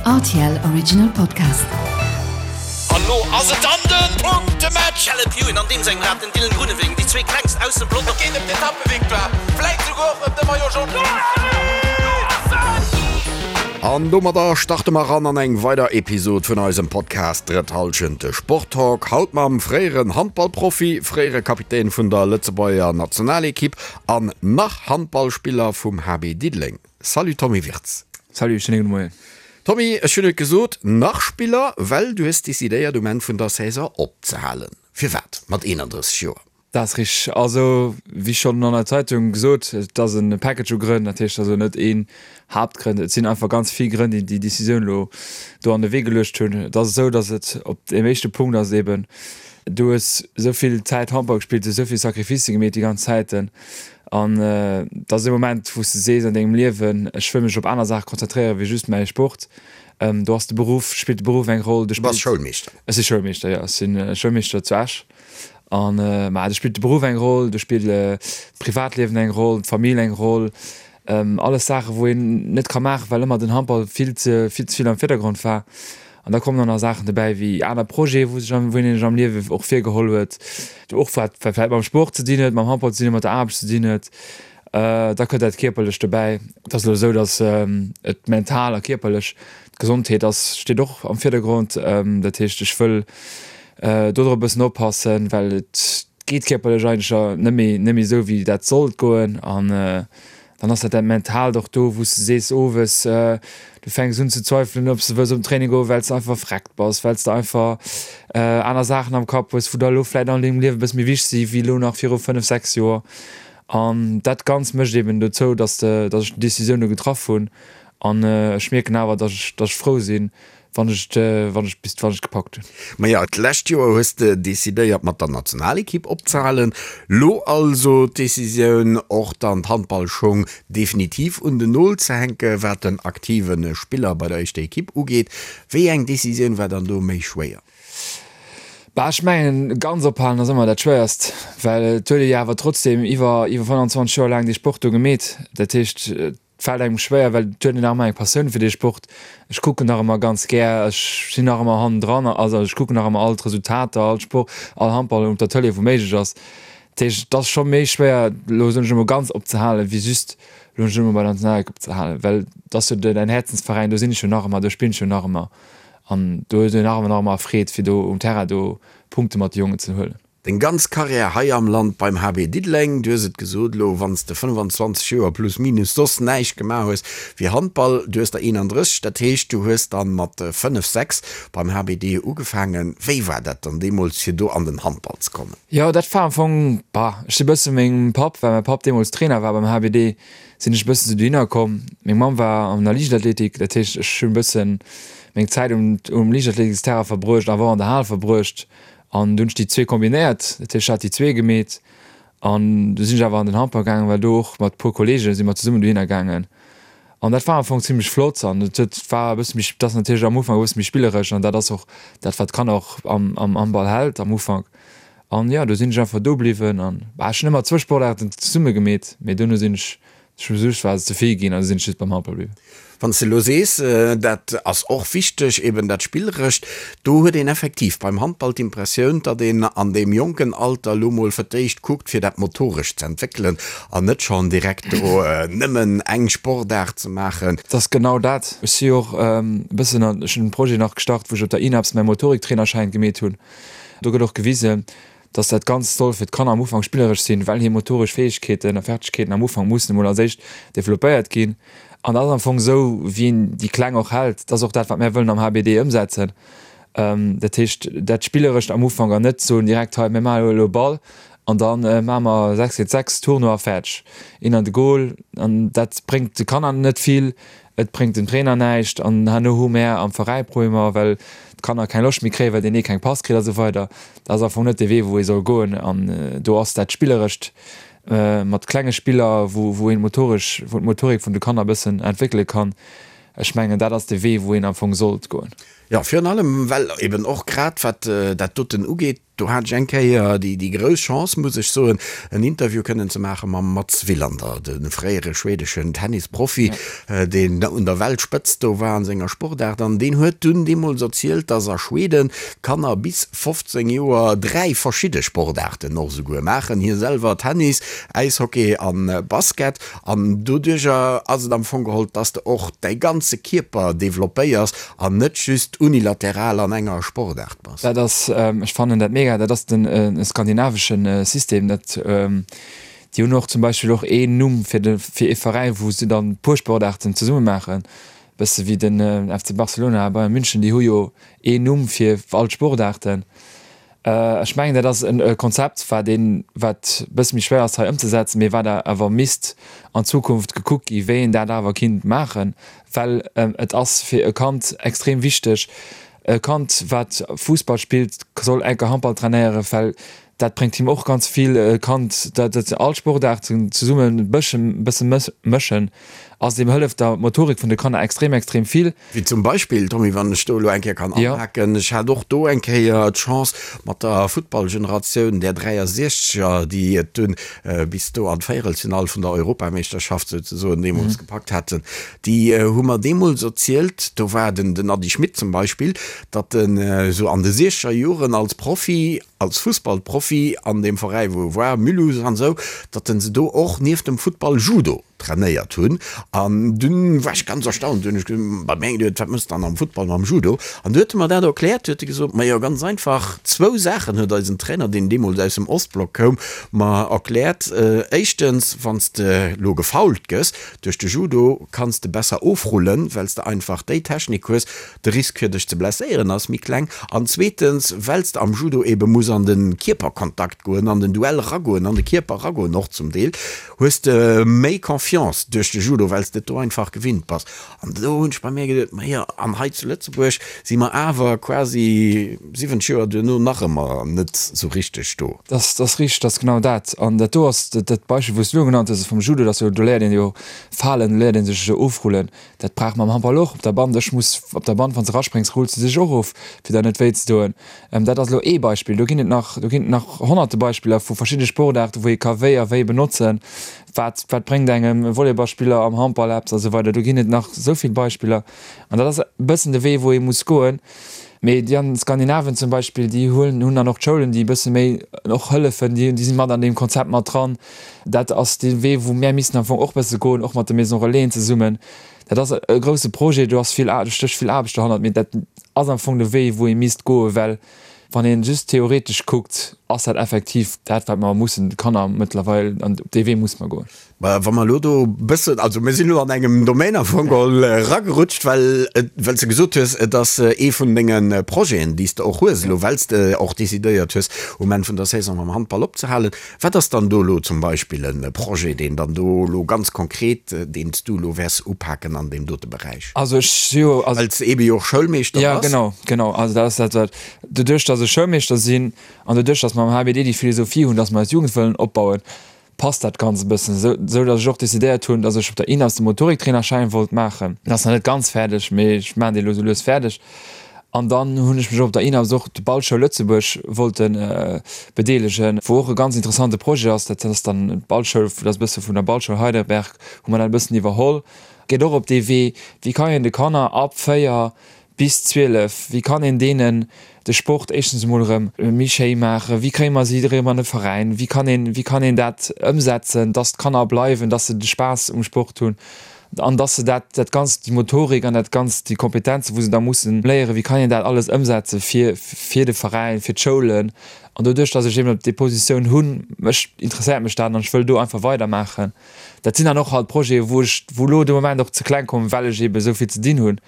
Rtl Original Podcast. An lo ass et dann den Punktematch! Caleb Ewan an deem sengem Rad den Dylan Groenewegen, déi zwee klengst aus dem Pelotong. Et geet ëm d'Etappevictoire, vläit souguer och ëm de Maillot Jaune. An domadder starte mer ran an eng weider Episod vun eisem Podcast Drëtt Hallschent, de Sporttalk. Haut mam fréieren Handballprofi, fréiere Kapitän vun der Lëtzebuerger Nationalekipp an nach Handballspiller vum HB Diddeleng. Salut Tommy Wirtz. Salut, schéine gudde Moien. Tommy, ech hunn et gesot, nach Spiller, well du hues decidéiert um Enn vun der Saison opzehalen. Firwat mat 31 Joer? Dat ass richteg. Also, wéi schonn an der Zeitung gesot, et ass e Package u Grënn. Dat heescht also net een Haaptgrënn. Et sinn einfach ganz vill Grënn, déi déi Decisioun elo do an de Wee geluecht hunn. Et ass esou, datt et op deem éischte Punkt ass eeben, du hues esou vill Zäit Handball gespillt, du hues esou vill Sacrificë gemeet déi ganz Zäiten an et ass e Moment, wou s de sees an dengem Liewen, ech wëll mech op aner Saache konzentréieren wéi just mäi Sport. Do ass de Beruff, spillt de Beruff eng Roll. Du bass Schoulmeeschter? Ech si Schoulmeeschter, jo. Ech si Schoulmeeschter zu Esch. An ma do spillt de Beruff eng Roll, do spillt d'Privatliewen eng Roll, d'Famill eng Roll, alles Saachen, wou een net ka maachen, well ëmmer den Handball vill ze vill ze vill am Virdergrond war. An da kommen och nach Saachen dobäi wéi aner Projete wou sech wou een sech am Liewe och virgeholl huet, och wat vläicht mam Sport ze dinn huet, mam Handball ze dinn huet, mat der Aarbecht ze dinn huet. Da kënnt dat Kierperlecht dobäi. Et ass elo esou, datt et mental a kierperlech, d'Gesondheet ass steet och am Virdergrond. Dat heescht, ech wëll do drop e bëssen oppassen, well et geet kierperlech eigentlech net méi net méi esou wéi dat sollt goen. An dann ass dat dat Mentaalt och do, wou s de sees owes, du fänks un ze zweifelen, ob s de wëlls op den Training goen, well s de einfach vreckt bass, well s de einfach aner Saachen am Kapp hues, wou der elo vläicht an dengem Liewe e bësse méi wichteg si wéi elo nach viru 5, 6 Joer. An dat Ganzt mécht eben dozou, dass de, dass ech déi Decisioun do getraff hunn. An ech mierken awer, dass ech, dass ech frou sinn, wann ech et, wann ech bis, wann ech et gepackt hunn. Maja, d'lescht Joer hues de decidéiert mat der Nationalekipp opzehalen. Lo also d'Decisioun och dann d'Handballschong definitiv un den Nol ze hänke wat den aktive Spiller bei der éischter Ekipp ugeet. Wéi eng Decisioun war dann do méi schwéier? Bah, ech mengen, ganz ophalen ass ëmmer dat Schwéierst, well et huet ee jo awer trotzdeem iwwer iwwer 25 Joer laang dee Sport do gemeet. Dat heescht, et fält engem schwéier, well et huet een nach ëmmer eng Passioun fir dee Sport. Ech kucken nach ëmmer ganz gär, ech sinn nach ëmmer hannendran, also ech kucken nach ëmmer all d'Resultater, all Sport, all Handball op der Tëlee, wou méiglech ass. Dat heescht, et ass scho méi schwéier, elo soen ech emol, ganz opzehalen, wéi just elo soen ech emol bei der Nationalekipp opzehalen, well et ass jo däin Häerzensveräin, do sinn ech jo nach ëmmer, do spillen ech jo nach ëmmer. An do huet een nach ëmmer nach ëmmer Freed fir do um Terrain do Punkte mat de Jongen ze huelen. Deng ganz Karriär hei am Land beim HB Diddeleng, du hues et gesot, elo wann s de 25 Joer plus minus soss näischt gemaach hues wéi Handball, du hues der 31, dat heescht du hues dann mat 5, 6 beim HBD ugefaangen. Wéi war dat dann deemools fir do an den Handball ze kommen? Jo dat war am Fong, bah, ech si bësse mengem Papp, well mäi Papp deemools Trainer war beim HBD, sinn ech e bëssen esou dohinner komm. Meng Mamm war an der Liichtathletik, dat heescht ech hunn e bëssen meng Zäit um um Liichtathletiksterrain verbruecht, awer och an der Hal verbruecht an du hunn ech déi zwee kombinéiert, dat heescht ech hat déi zwee gemeet an du sinn ech awer an den Handball gaangen, well do och mat puer Kollege si mer zesummen dohinner gaangen an dat war am Fong zimlech flott an et huet war e bësse méi, et ass natierlech am Ufank e bësse méi spilleresch an dat ass och dat wat d'Kanner och am am Handball hält am Ufank. An jo, do sinn ech einfach do bliwwen an bah, ech hunn ëmmer zwou Sportaarten zesumme gemeet, mee duerno sinn ech just war se ze vill ginn an du sinn ech just beim Handball bliwwen. Wann s de elo sees, dat ass och wichteg, eben dat Spillerescht, do huet een effektiv beim Handball d'Impressioun, datt een an deem jonken Alter elo mol fir d'éischt kuckt, fir dat Motorescht ze entwéckelen an net schonn direkt do nëmmen eng Sportaart ze maachen. Et ass genau dat. Ech si jo och e bëssen an, ech hunn e Projet nach gestart, wou ech op der INAPS mäi Motoriktrainerschäin gemeet hunn. Do gëtt och gewisen, dass dat Ganzt soll fir d'Kanner am Ufank spilleresch sinn, well hir motoresch Fäegkeeten a Fertigkeeten am Ufank mussen emol als éischt developpéiert ginn. An dat ass am Fong esou, wéi een déi Kleng och hält. Dat ass och dat, wat mär wëllen am HBD ëmsetzen. Dat heescht, dat Spillerescht am Ufank an net soen direkt, hei, mir maache elo e Ball an da maache mer 6 géint 6 Tournoi a fäerdeg, een an de Goal. An dat bréngt de Kanner net vill. Et bréngt dem Trainer näischt an herno hu mär am Veräi Problemer, well d'Kanner keng Loscht méi kréien, well deen ee keng Pass kritt a sou weider. Dat ass am Fong net dee Wee, wou ee soll goen an do ass dat Spillerescht mat klenge Spiller, wou wou een motoresch, wou d'Motorik vun de Kanner e bëssen entwéckele kann. Ech mengen, dat ass de Wee, wou een am Fong sollt goen. Jo, virun allem well eben och grad wat dat doten ugeet. Do hat ech eng Kéier déi grouss Chance, muss ech soen, en Interview kënnen ze maache mam Mats Wilander, de fréiere schwedeschen Tennisprofi, deen un der Weltspëtzt do war an senger Sportaart. An deen huet dunn deemools erzielt, dass a Schweden d'Kanner bis 15 Joer 3 verschidde Sportaarten och esouguer maachen, hie selwer Tennis, Äishockey a Basket. An doduercher ass et am Fong geholl, dass de och däi ganze Kierper developpéiers an net just unilateral an enger Sportaart bass. Dat ass, ech fannen dat mega, dat ass den skandinavesche System. Dat, déi hunn och zum Beispill och een Numm fir de, fir ee Veräi wou se dann puer Sportaarten zesumme maachen, bësse wéi den FC Barcelona a Bayern München, déi hu jo een Numm fir all d'Sportaarten. Ech mengen, dat ass e Konzept, wat een, wat e bësse méi schwéier ass hei ëmzesetzen, mee wat awer misst an Zukunft gekuckt gi wéi een dat awer kinnt maachen, well et ass fir e Kand extrem wichteg, e Kand wat Fussball spillt, soll enker Handball trainéieren, well dat bréngt him och ganz vill. E Kand, dat all Sportaarten zesummen e bësse mëschen, ass deem hëlleft der Motorik vun de Kanner extrem, extrem vill. Wéi zum Beispill, Tommy, wann ech do elo eng Kéier kann anhaken, ech hat och do eng Kéier d'Chance mat der Futtballgeneratioun där 63er, déi et dunn bis do an d'Véierelsfinall vun der Europameeschterschaft souzesoen deemools gepackt haten, déi hu mer deemools erzielt, do war den den Ady Schmit zum Beispill, datt en esou an de siechzeger Joren als Profi, als Fussballprofi an deem Veräi wou e war, Mulhouse an esou, datt en se do och nieft dem Futtball Judo trainéiert hunn an dunn war ech ganz erstaunt, hunn ech gesot, bei mir geduet, wat mëss dann am Futtball mam Judo? An du huet e mer dat erkläert, huet e gesot, majo ganz einfach, zwou Saachen huet eisen Trainer, deen deemools aus dem Ostblock koum, mer erkläert, éischtens, wann s de lo gefoult gëss duerch de Judo, kanns de besser ofrullen, well s de einfach déi Technik hues, de Risk fir dech ze blesséieren ass méi kleng an zweetens, well s de am Judo ebe muss an de Kierperkontakt goen, an den Duell ragoen, an de Kierper ragoen och zum Deel, hues de méi Confiance duerch de Judo, well s de et do einfach gewinnt bass. An do hunn ech bei mir geduet, majo, an hei zu Lëtzebuerg si mer awer quasi 70 Joer duerno nach ëmmer net sou richteg do. Dat ass richteg, dat ass genau dat. An dat do ass dat Beispill, wou s du elo genannt hues, vum Judo, dat ass jo, do léiert een jo falen, do léiert ee sech ofrullen. Dat brauch mer am Handball och op der Band. Ech muss op der Band, wann s de eraspréngs, rulls de dech och of, fir der net wéi ze doen. Dat ass elo ee Beispill. Do ginn et nach, do ginn et nach honnerte Beispiller vu verschidde Sportaarten, wou ee ka wéi a wéi benotzen. Wat, wat bréngt engem e Volleyballspiller am Handball eppes a sou weider. Do ginn et nach esou vill Beispiller. An dat ass e bëssen de Wee, wou ee muss goen. Mee déi an Skandinavien zum Beispill, déi huelen, hunn dann och d'Schoulen, déi e bësse méi och hëllefen, déi, déi si mat an deem Konzept mat dran. Dat ass dee Wee, wou mär missten am Fong och e bësse goen, och mat de Maisons Relaisen zesummen. Dat ass e grouse Projet, do ass vill, do stécht vill Aarbecht dohannert, mee dat ass am Fong de Wee, wou ee misst goen, well wann ee just theoretesch kuckt, ass dat effektiv dat, wat mer mussen de Kanner mëttlerweil, an op dee Wee musse mer goen. Mä wa mer elo do e bëssen, also mir sinn elo an engem Domaine am Fong geholl eragerutscht, well et, well s de gesot hues, et ass ee vun denge Projeten, déi s de och hues elo, well s de och decidéiert hues, um Enn vun der Saison mam Handball opzehalen. Wat ass dann do elo zum Beispill e Projet, deen dann do elo ganz konkret, deen s du elo wäers upaken an deem dote Beräich? Also ech si jo, also. Well s de eebe jo och Schoulmeeschter bass. Jo, genau, genau. Also dat ass dat, wat, doduerch datt ech Schoulmeeschter sinn an doduerch datt mer am HBD déi Philosophie hunn, datt mer eis Jugend wëllen opbauen, passt dat Ganzt e bëssen, esou esou datt ech och decidéiert hunn, datt ech op der INAS de Motoriktrainerschäin wollt maachen. Den ass nach net ganz fäerdeg, mee ech maachen dee lo sou lues fäerdeg. An dann hunn ech mech och op der INAS och de Ballschoul Lëtzebuerg wollte bedeelegen, wou och e ganz interessante Projet ass. Dat ass dann d'Ballschoul, dat ass e bësse vun der Ballschoul Heidelberg, hu mer dat e bëssen iwwerholl. Geet och op dee Wee, wéi kann een de Kanner ab 4 bis 12, wéi kann een deenen de Sport éischtens emol erëm méi schéi maachen, wéi kréie mer si erëm an de Veräin, wéi kann een, wéi kann een dat ëmsetzen, dass d'Kanner bleiwen, dass se de Spaass um Sport hunn an dass se dat, dat Ganzt, déi Motorik an dat Ganzt, déi Kompetenzen, wou se da mussen léieren, wéi kann een dat alles ëmsetze fir, fir de Veräin, fir d'Schoulen. An doduerch, dass ech eben déi Positioun hunn, mech, interesséiert mech dat an ech wëll do einfach weidermaachen. Dat sinn dann och halt Projeten, wou ech, wou elo de Moment och ze kleng kommen, well ech eben esou vill ze dinn hunn.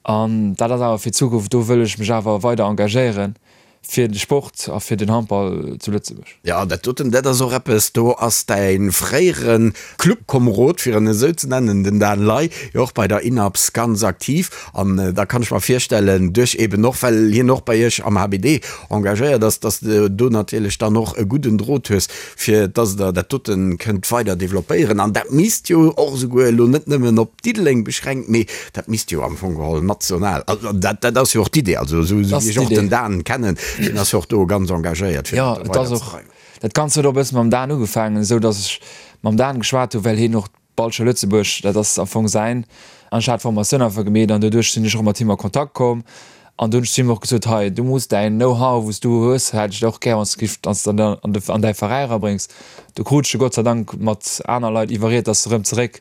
An dat ass awer fir d'Zukunft, do wëll ech mech awer weider engagéieren fir de Sport a fir den Handball zu Lëtzebuerg. Jo, dat doten, dat ass och eppes, do ass däi fréiere Clubkomerod, fir en esou ze nennen, den Dan Ley, jo och bei der INAPS ganz aktiv. An da kann ech mer virstellen, duerch eben och, well hien och bei iech am HBD engagéiert ass, dass de do natierlech dann och e gudden Drot hues, fir dass Der dat dote kënnt weider developpéieren. An dat misst jo och esouguer elo net nëmmen op Diddeleng beschränkt, mee dat misst jo am Fong geholl national, also dat, dat ass jo och d'Idee, also esou wéi ech och den Dan kennen. Deen ass jo och do ganz engagéiert, fir dat do weiderzedreiwen. Dat Ganzt huet och e bësse mam Dan ugefaangen, esou datt ech mam Dan geschwat hu well hien och d'Ballschoul Lëtzebuerg, dat ass am Fong säin, an ech hat d'Formatioun einfach gemeet an doduerch sinn ech och mat him a Kontakt komm an do hunn ech zu him och gesot, hei du muss däin Know-how wou s du hues, hätt ech och gär wann s du giff, wann s de an de an däi Veräi erabréngs. Do krut ech e Gott sei Dank mat aner Leit iwwerriet, datt e rëm zeréck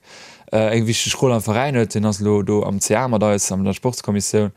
eng wichteg Roll am Veräin huet. Hien ass elo do am CA mat eis an der Sportskommissioun.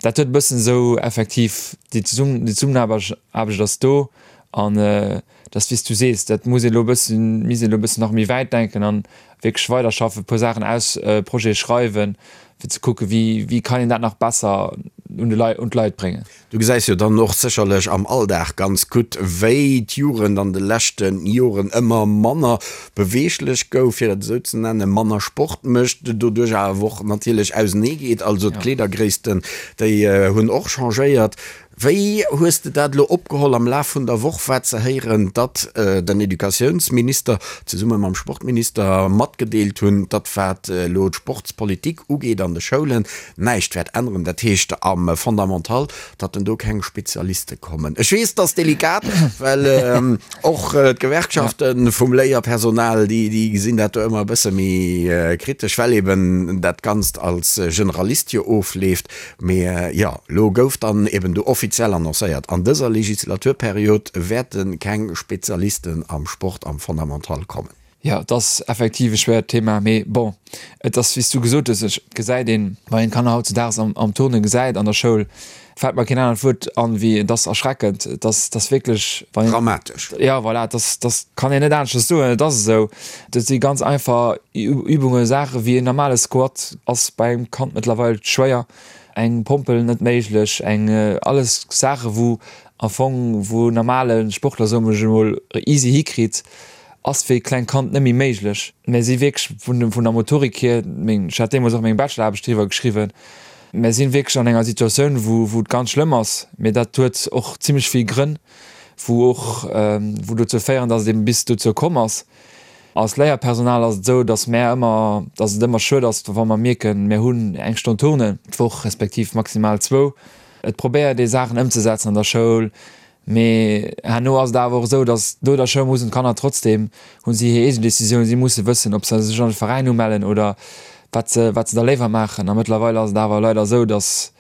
Dat huet e bëssen esou effektiv déi Zesummenaarbecht ass do An et ass wéi s du sees, dat muss ee elo e bëssen, misst een elo e bëssen nach méi wäit denken an wierklech weiderschaffen, e puer Saachen aus, Projete schreiwen, fir ze kucken, wéi, wéi kann een dat nach besser un de Leit, un d'Leit bréngen. Du gesäis jo dann och sécherlech am Alldag ganz gutt, wéi d'Jugend an de leschte Joren ëmmer manner beweeglech gouf, fir et esou ze nennen, manner Sport mécht, doduerch awer och natierlech auseneegeet. Also d'Kleedergréissten, déi hunn och changéiert. Wéi hues de dat elo opgeholl am Laf vun der Woch war ze héieren, datt den Educatiounsminister zesumme mam Sportminister matgedeelt hunn, datt wat elo d'Sportspolitik ugeet an de Schoulen näischt wäert änneren, dat heescht am Fondamental, datt en do keng Spezialiste kommen? Ech weess, et ass delikat, well och d'Gewerkschafte vum Léierpersonal, déi gesinn dat do ëmmer e bësse méi kritesch, well eben dat Ganzt als Generalist jo ofleeft. Mee jo, elo gouf dann eben do offiziell annoncéiert, an dëser Legislaturperiod wäerte keng Spezialisten am Sport am Fondamental kommen. Jo, et ass effektiv e schwéiert Thema, mee bon, et ass wéi s du gesot hues, et gesäit een, wann een d'Kanner hautzedaags am Turne gesäit an der Schoul, fält mer keen anert Wuert an wéi et ass erschreckend, et ass, et ass wierklech, wann een. Dramatesch. Jo, voilà, et ass, et ass, kann een net aneschters soen, et ass esou. Dat si ganz einfach Übungen, Saache wéi en normale Squat ass bei engem Kand mëttlerweil schwéier, eng Pompel net méiglech, eng alles Saache wou am Fong wou en normale Sportler soe mer emol easy hikritt, ass fir e klengt Kand net méi méiglech. Mir si wierklech vun vun der Motorik hier, meng ech hat deemools och meng Bacheloraarbecht driwwer geschriwwen, mir si wierklech an enger Situatioun wou wou et ganz schlëmm ass, mee dat huet och zimlech vill Grënn, wou och wou dozou féieren, datt et eben bis dozou komm ass. Als Léierpersonal ass et esou, datt mär ëmmer, datt et ëmmer schued ass, wa mer mierken, mär hunn eng Stonn Turnen d'Woch, respektiv maximal zwou. Et probéiert ee Saachen ëmzesetzen an der Schoul, mee herno ass et awer och esou, datt no der Schoul mussen d'Kanner trotzdeem, hu si hir eegen Decisioun, si musse wëssen, ob se sech an de Veräin umellen oder wat se, wat se da léiwer maachen. A mëttlerweil ass et awer leider esou, datt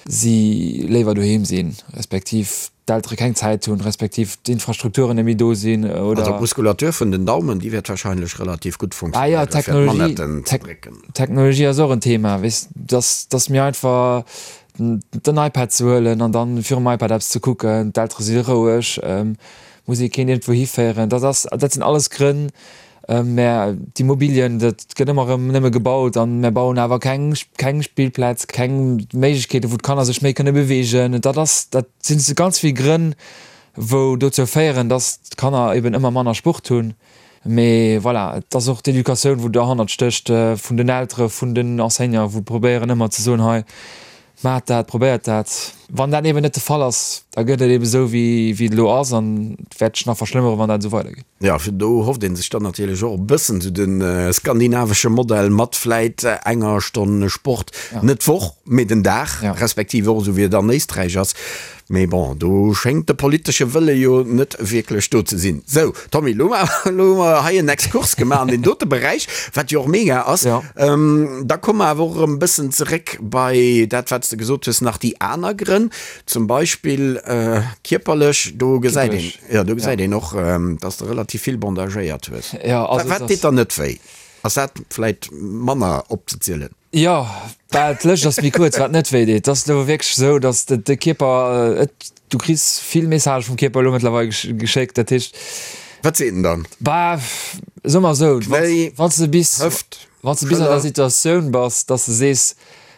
si léiwer doheem sinn, respektiv d'Eltere keng Zäit hunn, respektiv d'Infrastrukturen net méi do sinn oder. Also d'Muskulatur vun den Daumen, déi wäert wahrscheinlech relativ gutt funktionéieren, fir d'Manetten ze drécken. Technologie ass och en Thema, weess, dass, dass mir einfach den iPad ze huelen an dann virum iPad eppes ze kucken, d'Eltere si roueg, muss ee keen iergendwou hiféieren. Dat ass, dat sinn alles Grënn, Mä d'Immobilien, dat gëtt ëmmer erëm nëmme gebaut an mär bauen awer keng, keng Spillplätz, keng Méiglechkeeten, wou d'Kanner sech méi kënne beweegen. Dat ass, dat sinn ganz vill Grënn, wou dozou féieren, dass d'Kanner eben ëmmer manner Sport hunn. Mee voilà, et ass och d'Educatioun, wou derhannert stécht, vun den Eltere, vun den Enseignanten, wou probéieren ëmmer ze soen, hei, Maacht dat, probéiert dat. Wann dat eben net de Fall ass, da gëtt et eben esou, wéi et elo ass an et wäert sech nach verschlëmmere wann dat esou weidergeet. Jo, fir do hofft ee sech dann natierlech och e bëssen esou de skandinavesche Modell mat vläit enger Stonn Sport, net d'Woch, mee den Dag, respektiv och esou wéi et an Éisträich ass. Mee bon, do schéngt de politesche Wëlle jo net wierklech do ze sinn. Sou, Tommy, elo hu mer hei en Exkurs gemaach an deen dote Beräich, wat jo och mega ass. Da komme mer awer och erëm e bëssen zeréck bei dat, wat s de gesot hues, nach déi aner Grënn, zum Beispill kierperlech. Do gesäit een, jo, do gesäit een och, dass s de relativ vill bandagéiert hues. Wat deet dann net wéi? Ass dat vläit manner opzezielen? Jo, bah, d'Lëscht ass méi kuerz, wat net wéi deet. Et ass elo wierklech esou, datt de Kierper, et, du kriss vill Messagë vum Kierper elo mëttlerweil geschéckt, dat heescht. Wat seet en dann? Bah, soe mer esou, Knéi, wann s de bis, Hëft, wann s de bis an der Situatioun bass, datt s de sees,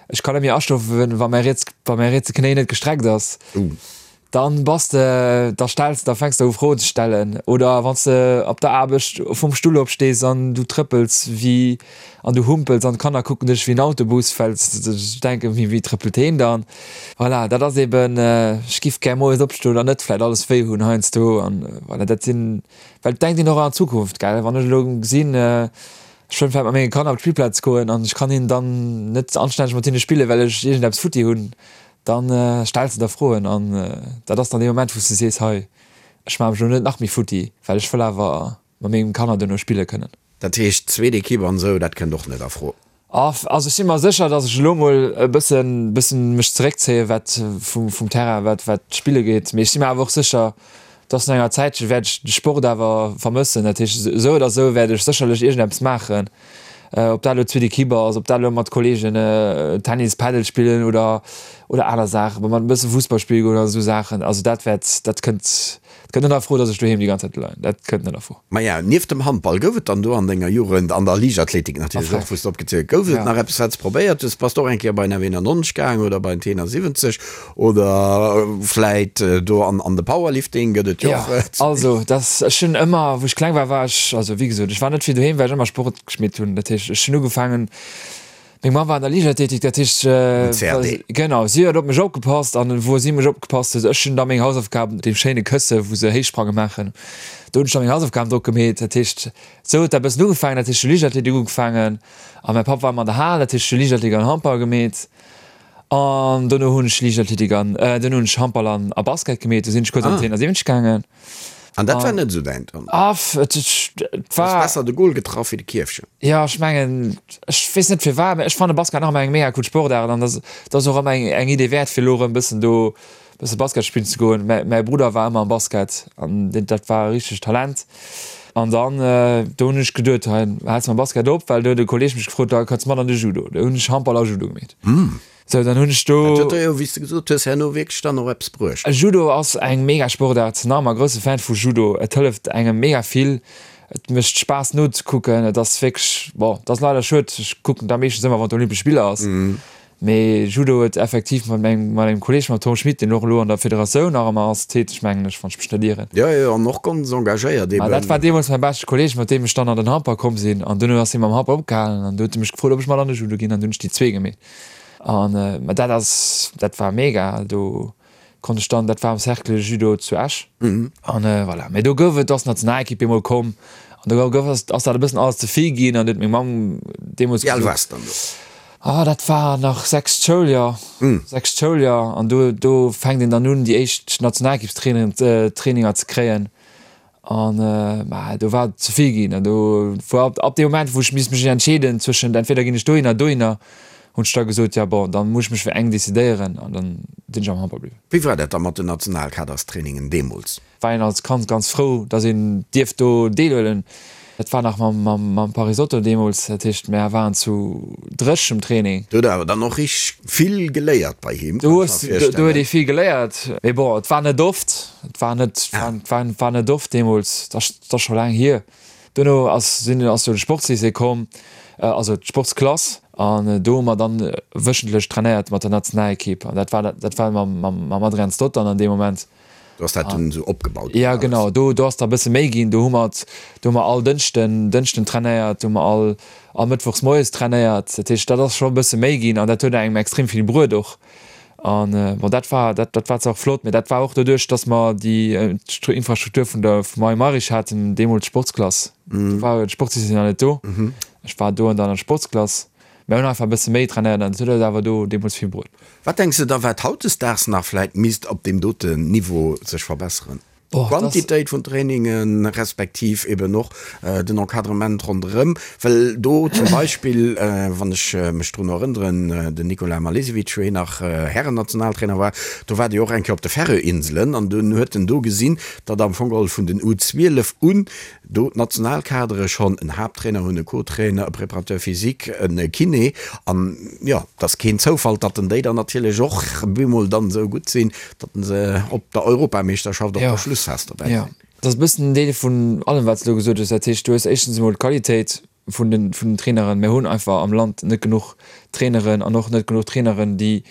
ech kann net méi aschlofen, wa mäi riets, wa mäi rietse Knéi net gestreckt ass. Dann bass de, da stells, da fänks de u Froen ze stellen. Oder wann s de op der Aarbecht vum Stull opstees an du trëppels wéi, an du humpels an d'Kanner kucken dech wéi en Autobus, well se sech denken, wéi wéi trëppelt heen dann? Voilà, dat ass eben, ech giff gär moies opstoen an net vläit alles wéi hunn heiansdo an voilà, dat sinn, well et denkt een och an d'Zukunft, gell? Wann ech elo gesinn, ech wëll vläit mat menge Kanner op d'Spillplaz goen an ech kann hinnen dann net anstänneg mat hinne spillen, well ech iergendeppes futti hunn. Dann stells de der Froen an dat ass dann dee Moment, wou s de sees, hei, ech maache mech elo net nach méi futti, well ech wëll awer mat mengem Kanner duerno spille kënnen. Dat heescht, zweet Ekipp an esou, dat kënnt och net a Fro? Also ech si mer sécher, datt ech elo mol e bëssen, bëssen mech zeréckzéie wat vum, vum Terrain, wat, wat d'Spille geet. Mee ech si mer awer och sécher, datt no enger Zäitche wäert ech de Sport awer vermëssen. Dat heescht, esou oder esou wäert ech sécherlech iergendeppes maachen. Ob dat elo zweet Equipe ass, ob dat elo mat Kolleegen Tennis, Padel spillen oder oder aner Saachen, mat e bësse Fussball spille goen oder esou Saachen. Also dat wäert, dat kënnt, dat kënnt net a Fro, datt ech doheem déi ganz Zäit leien. Dat kënnt net a Fro. Maja, nieft dem Handball, gouf et dann do an denger Jugend, an der Liichtathletik natierlech och, wou s de opgezielt, gouf et nach eppes, wat s de probéiert hues? Bass de och eng Kéier bei den F91 gaang oder bei den T71 Oder vläit do an de Powerlifting gëtt et jo och. Jo, also dass ech hunn ëmmer, wou ech kleng war, war ech, also wéi gesot, ech war net vill doheem, well ech ëmmer Sport geschmitt hunn. Dat heescht, ech hunn ugefaangen, meng Mamm war an der Liichtathletik, dat heescht, genau, si huet op mech opgepasst an wou si mech opgepasst huet, ech hunn da meng Hausaufgaben op deem schéine Kësse wou se Héichsprange maachen, do hunn ech da meng Hausaufgaben drop gemeet. Dat heescht, esou huet dat e bëssen ugefaangen. Dat heescht, ech hu Liichtathletik ugefaangen a mäi Papp war ëmmer an der Hal, dat heescht, ech hu Liichtathletik an Handball gemeet. An dono hunn ech Liichtathletik an, dono hunn ech Handball an a Basket gemeet. Do sinn ech kuerz an den 71 gaangen. An dat war net esou däint dann? Aff, et war. Hues besser de Goal getraff wéi de Kierfchen? Jo, ech mengen, ech weess net firwat, mä ech fanne Basket nach ëmmer eng mega cool Sportaart an dat ass och ëmmer eng eng Idee wäert fir elo erëm bëssen do Bësse Basket spillen ze goen. Mäi Brudder war ëmmer am Basket an dat war e richtegt Talent. An dann do hunn ech geduet, hei häls mam Basket op, well do huet e Kolleeg mech gefrot, da kanns mat an de Judo. Do hunn ech Handball a Judo gemeet. Sou dann hunn ech do. Dat huet der jo, wéi s de gesot hues, herno wierklech dann och eppes bruecht. Judo ass eng mega Sportaart, nach ëmmer grousse Fan vu Judo. Et hëlleft engem mega vill, et mécht Spaass nozekucken. Et ass wierklech, bon, et ass leider schued, ech kucken da meeschtens ëmmer wann d'Olympesch Spiller ass. Mee Judo huet effektiv mat mengem, mat engem Kolleeg, mam Tom Schmit, deen och elo an der Federatioun nach ëmmer ass, täteg, mengen ech, wann ech mech net ieren. Jo, jo, an och ganz engagéiert eben. Dat war deemools mäi beschte Kolleeg, mat deem ech dann an den Handball komm sinn. An duerno ass hie mam Handball opgehalen an du huet e mech gefrot, ob ech mat an de Judo ginn an du hunn ech déi zwee gemeet. An mä dat ass, dat war mega. Do konnt ech dann, dat war am Cercle Judo zu Esch. An voilà, mee do gouf et, do ass d'Nationalekipp eemol komm an do gouf, ass dat e bëssen alles ze vill ginn an du huet meng Mamm deemools gesot. Wéi al waars de dann do? Ah, dat war nach sechst Schouljoer, sechst Schouljoer an do, do fänkt een dann un, déi éischt Nationalekippstraininger ze kréien an mä do war et ze vill ginn an do war ab, ab deem Moment, wou ech misst mech entscheeden zwëschent entweder ginn ech dohinner, dohinner, hunn ech da gesot, ja bon, dann muss ech mech fir eng decidéieren an dann sinn ech am Handball bliwwen. Wéi war dat da mat den Nationalkaderstrainingen deemools? War een als Kand ganz frou, dass een dierft do deelhuelen. Dat war nach mam Parisotto deemools, dat heescht mär waren zu Dréch um Training. Do huet awer dann och richteg vill geléiert bei him, kann ech mer virstellen. Do huet ee vill geléiert, mee bon, et war net oft, et war net, war net oft deemools, dat ass scho laang hier. Duerno ass sinn ass jo de Sportslycée komm, also d'Sportsklass, an do hu mer dann wöchentlech trainéiert mat der Nationalekipp an dat war dat war mam mam Adrian Stott dann an deem Moment. Do ass dat dunn esou opgebaut ginn. Ja genau, do do ass da bësse méi ginn. Do hu mer do hu mer all Dënschden Dënschden trainéiert, do hu mer all all Mëttwochs moies trainéiert. Dat heescht, dat ass scho e bësse méi ginn an dat huet engem extrem vill bruet och. An bon, dat war dat dat war zwar och flott, mee dat war och doduerch, datt mer déi Infrastruktur vun der vum Mario Mayrisch haten, deemools d'Sportsklass. Do war d'Sportslycée nach net do. Ech war do an der Sportsklass. Mir hunn einfach e bësse méi trainéiert an dat huet eis awer do deemools vill bruet. Wat denks de da wat hautdesdaags nach vläit misst op deem doten Niveau sech verbesseren? D'Quantitéit vun Trainingen, respektiv eben och den Encadrement ronderëm, well do zum Beispill, wann ech mech drun erënneren, den Nikola Malesevic, wou hien nach Härennationaltrainer war, do war dee och eng Kéier op de Färöer-Inselen an dunn huet en do gesinn, datt am Fong geholl vun den U12 un Do d'Nationalkadere schonn en Haapttrainer hunn, e Co-Trainer, e Préparateur physique, e Kiné. An jo, et ass keen Zoufall, datt en déi dann natierlech och bemol dann esou gutt sinn, datt en se op der Europameeschterschaft op der Schlussphas dobäi sinn. Jo, dat ass e bëssen en Deel vun allem, wat s de elo gesot hues. Dat heescht, du hues éischtens emol d'Qualitéit vun den, vun den Traineren. Mir hunn einfach am Land net genuch Traineren an och net genuch Traineren, déi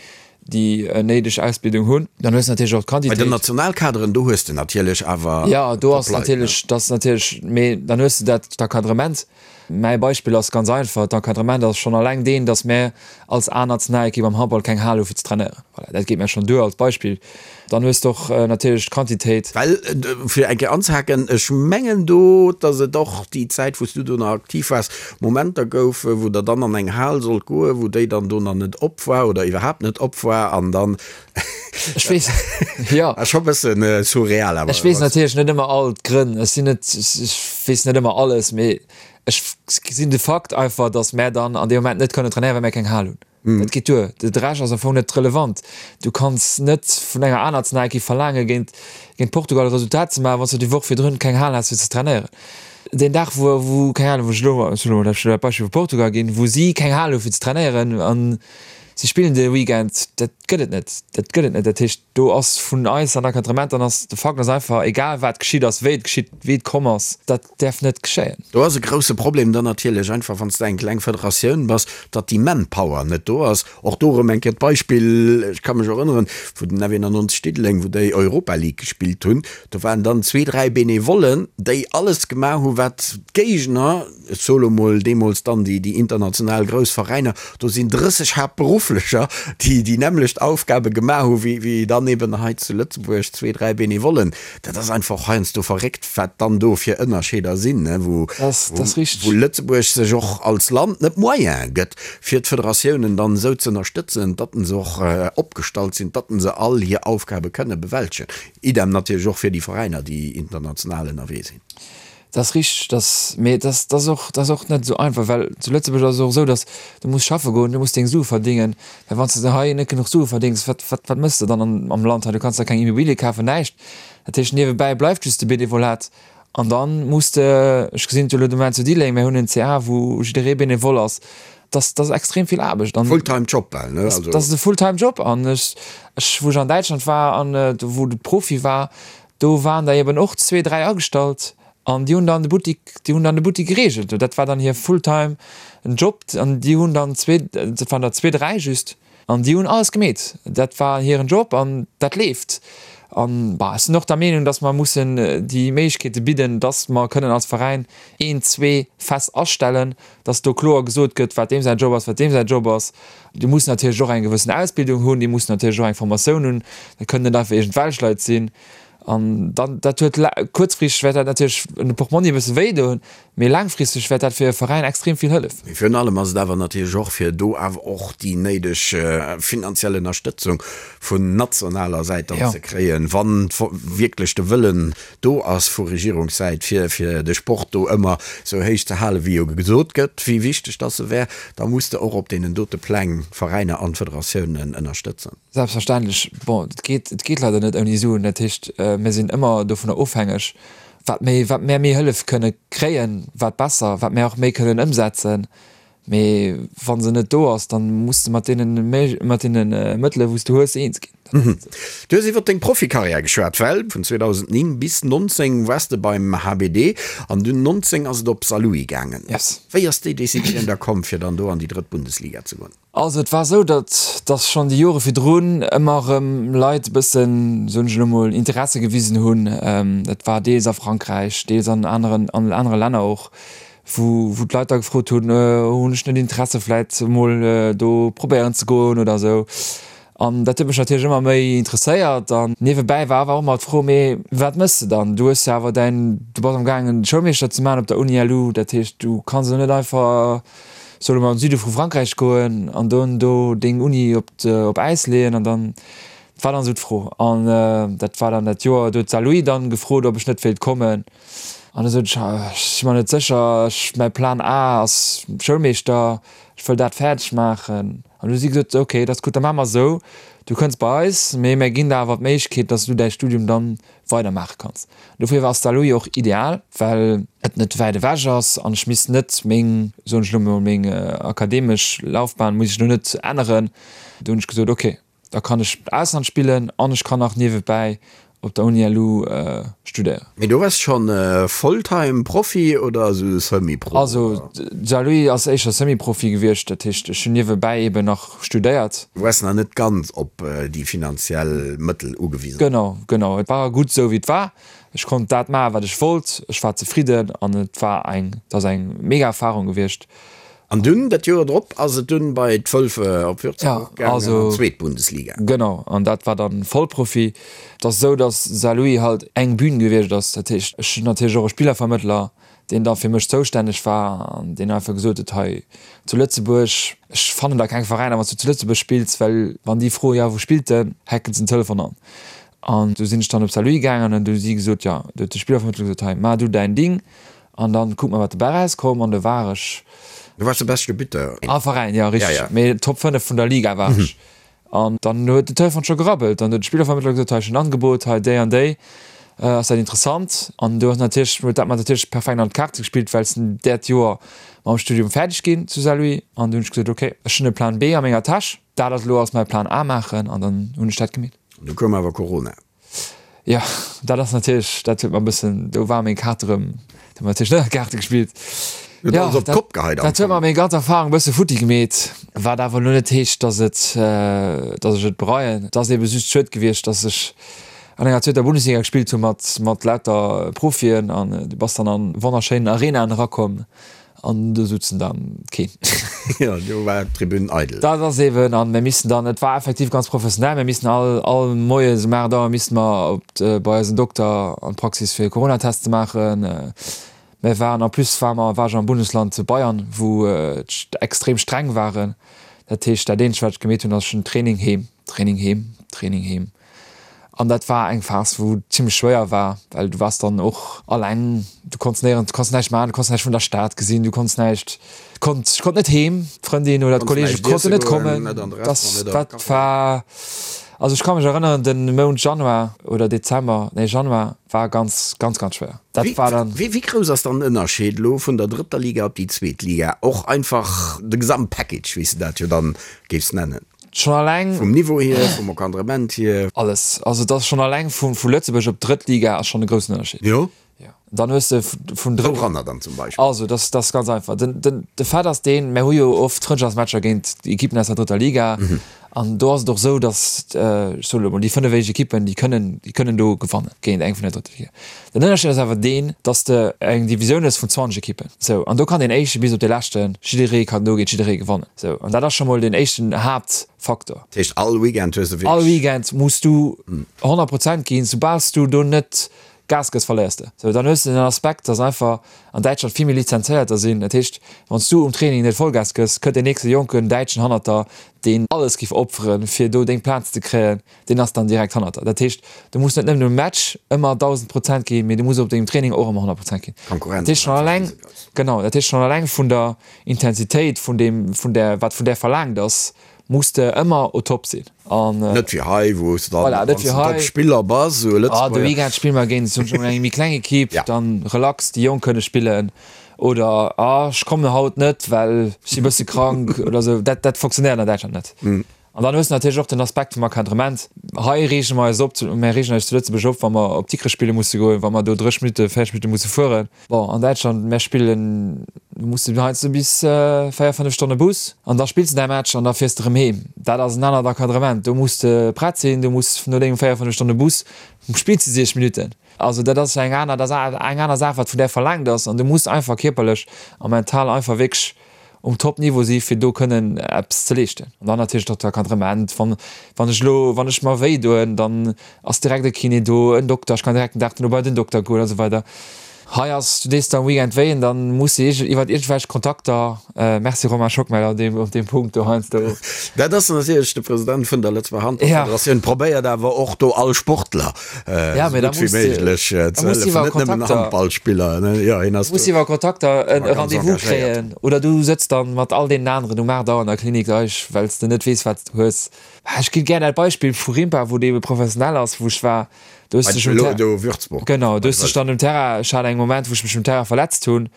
déi néideg Ausbildung hunn. Dann hues de natierlech och d'Quantitéit. Bei den Nationalkaderen, do hues de natierlech awer Jo, do ass natierlech, dat ass natierlech, mee dann hues de dat, d'Encadrement. Mäi Beispill ass ganz einfach, D'Encadrement ass schonn alleng deen, datt mär als A-Nationalekipp am Handball keng Hal hu fir ze trainéieren. Voilà, dat geet mär schonn duer als Beispill. Dann hues de och natierlech d'Quantitéit. Well, fir eng Kéier anzehaken, ech mengen do, datt et och déi Zäit, wou s du do nach aktiv waars, Momenter gouf, wou Der dann an eng Hal sollt goen, wou déi dann do nach net op war oder iwwerhaapt net op war an dann. Ech weess, jo. Ass scho e bësse surreal awer. Ech weess natierlech net ëmmer all d'Grënn. Ech sinn net, ech weess net ëmmer alles, mee ech gesinn de Fakt einfach, datt mär dann an deem Moment net kënnen trainéieren, well mär keng Hal hunn. Dat geet duer. De Rescht ass am Fong net relevant. Du kanns net vun enger aner Nationalekipp verlaangen, géint, géint Portugal e Resultat ze maachen, wann s du déi Woch virdrun keng Hal has fir ze trainéieren. Deen Dag, wou, wou, keng Ahnung, wou ech elo, ech hunn elo dat Beispill vu Portugal ginn, wou si keng Hal hu fir ze trainéieren an si spillen de Weekend, dat gëtt et net. Dat gëtt et net. Dat heescht, do ass vun eis an Encadrement, dann ass de Fakt ass einfach, egal wat geschitt ass, wéi et geschitt, wéi et komm ass, dat däerf net geschéien. Do ass e grousse Problem dann natierlech einfach, wann s de eng kleng Federatioun bass, datt déi Manpower net do ass. Och do erëm eng Kéier d'Beispill, ech ka mech erënneren, wou den F91 Diddeleng, wou déi Europa League gespillt hunn, do waren dann zwee, dräi Benevollen, déi alles gemaach hu wat d'Géigner, ech soe lo mol deemools dann déi international grouss Veräiner, do sinn 30 Haaptberufflecher, déi déi nämmlecht Aufgabe gemaach hu wéi dann eben hei zu Lëtzebuerg zwee, dräi Benevollen. Dat ass einfach heiansdo verréckt, wat dann do fir Ënnerscheeder sinn, wou Lëtzebuerg sech och als Land net d'Moyene gëtt, fir d'Federatiounen dann esou ze ënnerstëtzen, datt se och opgestallt sinn, datt se all hir Aufgabe kënne bewältegen. Idem natierlech och fir déi Veräiner, déi international ënnerwee sinn. Dat ass richteg, dass, mee dat ass och, dat ass och net esou einfach, well zu Lëtzebuerg ass et och esou, dass du muss schaffe goen, du muss deng Sue verdingen, well wann s de hei net genuch Sue verdéngs, wat, wat, wat méchs de dann an, am Land hei? Du kanns der keng Immobilie kafen, näischt. Dat heescht, niewebäi bleift just de Benevolat an dann muss de, ech gesinn et jo elo de Moment zu Diddeleng, mir hunn en CA, wou jidderee Benevole ass, dat, dat ass extrem vill Aarbecht an. Fulltime Job bal, ne? Also. Dat ass e Fulltime Job an ech, ech, wou ech an Däitschland war an wou de Profi war, Do waren der eben och zwee, dräi agestallt an déi hunn dann de Buttik, déi hunn dann de Buttik gereegelt. Dat war dann hir full-time Job an déi hunn dann zwee, dat waren der zwee, dräi just an déi hunn alles gemeet. Dat war hiren Job an dat leeft. An bah, ech sinn och der Meenung, dass mer mussen déi Méiglechkeete bidden, dass mer kënnen als Veräin een, zwee fest astellen, dass do kloer gesot gëtt, wat deem säin Job ass, wat deem säin Job ass. Déi mussen natierlech och eng gewëssen Ausbildung hunn, déi mussen natierlech och eng Formatioun hunn, dat kënnen net einfach iergendwelch Leit sinn. An dann, dat huet kuerzfristeg wäert dat natierlech un de Portmonni e bësse wéi doen, mee laangfristeg wäert dat fir e Veräin extrem vill hëllef. Mee virun allem ass et awer natierlech och, fir do awer och déi néideg finanziell Ënnerstëtzung vun nationaler Säit dann ze kréien, wann wierklech de Wëllen do ass vu Regierungssäit, fir fir de Sport do ëmmer esou héich ze halen, wéi jo gesot gëtt, wéi wichteg dass e wär, da muss de och op deenen dote Pläng d'Veräiner an d'Federatiounen ënnerstëtzen. Selbstverständlech. Bon, et geet, et geet leider net ouni Suen. Dat heescht, mir sinn ëmmer dovunner ofhängeg. Wat méi, wat mär méi Hëllef kënne kréien, wat besser, wat mär och méi kënnen ëmsetzen. Mee wa se net do ass, dann muss de mat deenen, mat deene Mëttele wou s de hues, eens ginn. Du hues iwwer deng Profikarriär geschwat, well vun 2009 bis 19 waars de beim HBD an dunn 19 ass et op Saarlouis gaangen. Yes. Wéi ass déi Decisioun da komm, fir dann do an déi drëtt Bundesliga ze goen? Also et war esou, datt datt schonn déi Jore virdrun ëmmer erëm Leit e bëssen, soen ech elo mol, Interesse gewisen hunn. Dat war deels a Frankräich, deels an aneren, an anere Länner och, wou wou d'Leit da gefrot hunn, hunn ech net Interesse vläit emol do probéieren ze goen oder esou. An dat huet mech natierlech ëmmer méi interesséiert. An niewebäi war awer och ëmmer d'Fro, mee wat méchs de dann? Du hues jo awer däin, du bass am gaangen Schoulmeeschter ze maachen op der Uni LU, dat heescht du kanns elo net einfach, soe mer, an de Süde vu Frankräich goen an dann do deng Uni op op Äis leeën. An dann, dat war dann esou d'Fro. An dat war dann dat Joer, do huet d'Saarlouis dann gefrot, ob ech net wéilt kommen. An da sot ech, ech si mer net sécher, ech, mäi Plan A ass Schoulmeeschter, ech wëll dat fäerdeg maachen. An du hu si gesot, ok, dat ass gutt, da maache mer esou, du kënns bei eis, mee mir ginn der awer d'Méiglechkeet, dass du däi Studium dann weidermaache kanns. Dofir ass Saarlouis och ideal, well et net wäit ewech ass an ech misst net meng, soen ech elo mol, meng akademesch Laufbahn muss ech elo net änneren. Do hunn ech gesot, ok, da kann ech Ausland spillen an ech kann nach niewebäi. op der Uni LU studéieren. Mee do waars schonn Volltime Profi oder esou Semi-Pro? Also Saarlouis ass éischter Semi-Profi gewiescht, dat heescht ech hunn niewebäi eben nach studéiert. Du waars nach net ganz op déi finanziell Mëttel ugewisen? Genau, genau. Et war gutt esou wéi et war. Ech konnt dat maachen wat ech wollt, ech war zefridden an et war eng, et ass eng mega Erfarung gewiescht. An dunn, dat Joer drop, ass et dunn bei d'Wölfe op Würzburg gaangen, an d'zweet Bundesliga. Genau, an dat war dann Vollprofi. Et ass esou, datt Saarlouis halt eng Bühn gewiescht ass. Dat heescht, ech hunn natierlech och e Spillervermëttler, deen da fir mech zoustänneg war an deen einfach gesot huet, hei zu Lëtzebuerg, ech fannen da keng Veräiner, wann s du zu Lëtzebuerg spills, well wann déi froen, jo wou spillt en, hacken se den Telefon an. An du sinn ech dann op Saarlouis gaangen an du hu si gesot, jo, du huet de Spillervermëttler gesot, hei, maach du däin Ding, An dann kucke mer wat dobäi rauskoum an do war ech. Du waars de beschte Buteur. Am Veräin, jo richteg, mee Top 5 vun der Liga war ech. An dann huet den Telefon scho gerabbelt an huet de Spillervermëttler gesot, hei ech hunn en Angebot, hei déi an déi, ass dat interessant? An do ass natierlech, huet dat mer natierlech perfekt an d'Kaarte gespillt, well ech sinn dat Joer mam Studium fäerdeg ginn zu Saarlouis an du hunn ech gesot, ok, ech hunn e Plan B a menger Täsch, dat ass elo als mäi Plan A maachen an dann hunn ech dat gemeet. An du koum awer Corona. Jo, dat ass natierlech, dat huet mer e bëssen, do war meng Kaart erëm, do hu mer natierlech net an d'Kaarte gespillt. Huet Jo, alles op dat, d'Kopp geheit am dat huet Fong. mer meng ganz Erfahrung e bësse futti gemeet, wat awer elo net heescht, dass et, dass ech et bereien. Et ass ebe just schued gewiescht, dass ech an enger zweeter Bundesliga gespillt hu mat, mat lauter Profien an du bass dann an wonnerschéinen Arenaen erakomm An do sutzen dann keen. Jo, do war d'Tribün eidel. Dat ass eben, an mir missen dann, et war effektiv ganz professionell, mir missen all, all Moies um 8 Auer misste mer op d', bei eisen Dokter an d'Praxis fir e Coronatest ze maachen. Mir waren, en plus war mer, war ech am Bundesland Bayern, wou et extrem streng waren. Dat heescht, dat eenzegt wat ech gemeet hunn, ass ech hunn Training heem, Training heem, Training heem. An dat war eng Phas, wou zimmlech schwéier war, well du waars dann och alleng, du konns néierens, du konns näischt maachen, du konns näischt vun der Stad gesinn, du konns näischt, konnt, ech konnt net heem, d'Frëndin oder d'Kollege konnten net kommen. Dat, dat war, also ech ka mech erënneren, de Mount Januar oder Dezember, nee Januar war ganz, ganz, ganz schwéier. Dat war dann. Wéi grouss ass dann den Ënnerscheed elo vun der drëtter Liga op déi zweet Liga? Och einfach de Gesamtpackage, wéi s de dat jo dann géifs nennen. Schonn alleng. Vum Niveau hier, vum Encadrement hier. Alles. Also et ass schonn alleng vu vu Lëtzebuerg op d'drëtt Liga ass schonn e groussen Ënnerscheed. Jo. Jo. Dann hues de vun drëtt. Wouranner dann zum Beispill? Also dat ass, dat ass ganz einfach. Den, den, de Fait ass deen, mär hu jo oft Frëndschaftsmatcher géint Ekippen aus der drëtter Liga. An do ass et och esou, datt, ech soen elo mol, déi 5 éischt Ekippen, déi kënnen, déi kënnen do gewannen géint eng vun der drëtter Liga. Den Ënnerscheed ass awer deen, datt s de eng Divisioun hues vun 20 Ekippen. Sou, an do kann deen éischte bis op dee leschten, jidderee kann do géint jidderee gewannen. Sou, an dat ass scho mol deen éischten Haaptfaktor. Dat heescht, all Weekend hues de wierklech. All Weekend muss du 100 Prozent ginn. Soubal s du do net Gas gëss, verléiers de. Sou, dann hues de den Aspekt, datt einfach an Däitschland vill méi Lizenzéierter sinn. Dat heescht, wann s du um Training net Vollgas gëss, kënnt deen nächste jonken Däitschen hannert der, deen alles giff opferen, fir do deng Plaz ze kréien. Deen ass dann direkt hannert der. Dat heescht, du muss net nëmmen um Match ëmmer 1.000 Prozent ginn, mee du muss op dengem Training och ëmmer 100 Prozent ginn. D'Konkurrenz Dat heescht ass schonn einfach alleng, risegrouss. genau, dat heescht schonn alleng vun der Intensitéit, vun deem, vun där, wat vun där verlaangt ass, muss de ëmmer au top sinn. An. Net wéi hei, wou s de dann, Voilà, net wann s wéi de hei. Top-Spiller bass, esou e Ah, de Lëtzebuerger. Weekend spille mer géint zum Beispill eng méi kleng Ekipp, Ja. dann relax, déi Jonk kënne spillen. Oder, ah, ech kommen haut net, well ech si bësse krank oder esou. Dat, dat fonctionnéiert an Däitschland net. An dann hues de natierlech och den Aspekt vum Encadrement. Hei reege mer eis op, mär reegen eis zu Lëtzebuerg op, wa mer op Dikrech spille musse goen, wa mer do 30 Minutten, 40 Minutte musse fueren. Bon, an Däitschland, mär spillen, do muss de heiansdo bis 4, 5 Stonne Bus an da spills de däi Match an da fiers de erëm heem. Dat ass en anert Encadrement. Do muss de prett sinn, do muss no dengem 4, 5 Stonne Bus spills de 60 Minutten. Also dat ass eng aner, dat ass eng aner Saach, wat vun där verlaangt ass an du muss einfach kierperlech a mental einfach wierklech um Top-Niveau si fir do kënnen eppes ze leeschten. An dann natierlech och d'Encadrement, wann wann ech elo, wann ech mer wéi doen, dann ass direkt e Kiné do, en Dokter, ech kann direkt den Dag duerno bei den Dokter goen a sou weider. Hei ass, du dees der am Weekend wéi an dann muss de iwwert iergendwelch Kontakter, merci Romain Schockmel an deem op deem Punkt do heiansdo. Dat ass natierlech de President vun der Lëtzebuerger Handballfederatioun, probéiert awer och do all Sportler Ja, mee da esou gutt wéi muss de, méiglech da ze muss hëllefen, iwwer net nëmmen Kontakter, Handballspiller, ne? Jo, hien ass muss do iwwer Kontakter en ëmmer ganz Rendez-vous engagéiert. kréien oder du sëtz dann mat all deenen aneren um 8 Auer an der Klinik eich, well s de net weess, wat s de hues. Ech ginn gär dat Beispill vu Rimpa, wou dee professionell ass, wou ech war, do hues Bei dech um elo Ter do Würzburg, genau, bei do hues de dech Wëlf. dann um Terrain, ech hat eng Moment, wou ech mech um Terrain verletzt hunn.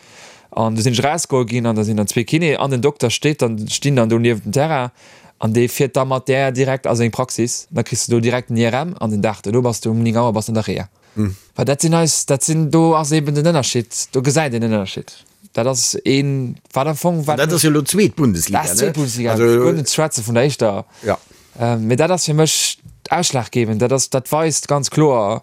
An du sinn ech erausgeholl ginn an da sinn dann zwee Kiné an den Dokter steet dann, stinn dann do niewent dem Terrain an dee fiert da mat där direkt a seng Praxis. Da kriss de do direkt den IRM an den Dag duerno bass de um 9 Auer bass de an der Reha. Well dat sinn eis, dat sinn, do ass eben den Ënnerscheed, do gesäit een den Ënnerscheed. Dat ass een, wat am Fong, wat. An dat ass jo elo d'zweet Bundesliga, ne? Dat ass d'zweet Bundesliga, also, guer net ze schwätze vun der éischter. Ja. Mee dat ass fir mech ausschlaggebend. Dat ass, dat weist ganz kloer,